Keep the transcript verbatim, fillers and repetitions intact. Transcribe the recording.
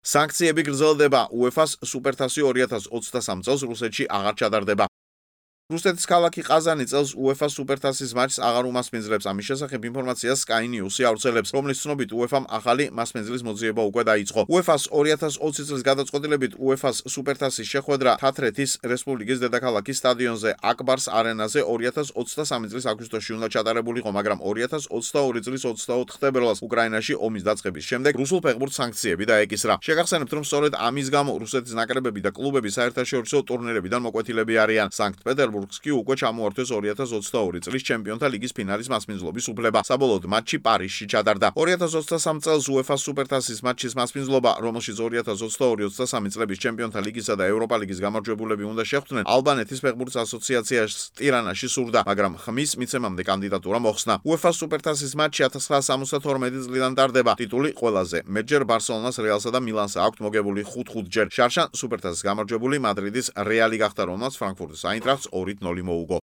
Sanktsiები გრძელდება UEFA-ს სუპერთასი ორი ათას ოცდასამ წელს რუსეთში აღარ ჩადარდება. რუსეთის ქალაქი ყაზანი წელს UEFA-ს სუპერთასის მატჩს აღარ უმასპინძლებს. Ამის შესახებ ინფორმაციას Sky News-ი ავრცელებს, რომლის ცნობით UEFA-მ ახალი მასპინძლის მოძიება უკვე დაიწყო. UEFA-ს ორი ათას ოცი წლის გადაწყვეტილებით UEFA-ს სუპერთასის შეხვედრა თათრეთის რესპუბლიკის დედაქალაქის სტადიონზე აკბარს არენაზე ორი ათას ოცდასამი წლის აგვისტოში უნდა ჩატარებულიყო, მაგრამ ორი ათას ოცდაორი წლის ოცდაოთხ თებერვალს უკრაინაში ომის დაწყების შემდეგ რუსულ ფეხბურთს სანქციები დაეკისრა. შეგახსენებთ, რომ სწორედ ამის გამო რუსეთის ნაკრებები და კლუბები საერთაშორისო ტურნირებიდან მოკვეთილები არიან. სანქტ-პეტერბურგს კი უკვე ჩამოართვეს ორი ათას ოცდაორი წლის ჩემპიონთა ლიგის ფინალის მასპინძლობის უფლება. საბოლოოდ მატჩი პარიზში ჩატარდა. ორი ათას ოცდასამ წელს UEFA-ს სუპერთასის მატჩის მასპინძლობა, რომელშიც ორი ათას ოცდაორი ოცდასამი წლების ჩემპიონთა ლიგისა და ევროპა ლიგის გამარჯვებულები უნდა შეხვდნენ, ალბანეთის ფეხბურთის ასოციაციას ტირანაში სურდა, მაგრამ ხმის მიცემამდე კანდიდატურა მოხსნა. UEFA-ს სუპერთასის მატჩი ათას ცხრაასა სამოცდათორმეტი წლიდან ტარდება. ტიტული ყველაზე მეტჯერ ბარსელონას, რეალსა და მილანს აქვთ მოგებული ხუთ-ხუთჯერ. შარშან სუპერთასის გამარჯვებული მადრიდის რეალი გახდა, რომელსაც ფრანკფურტის აინტრახტს ორი ნული მოუგო.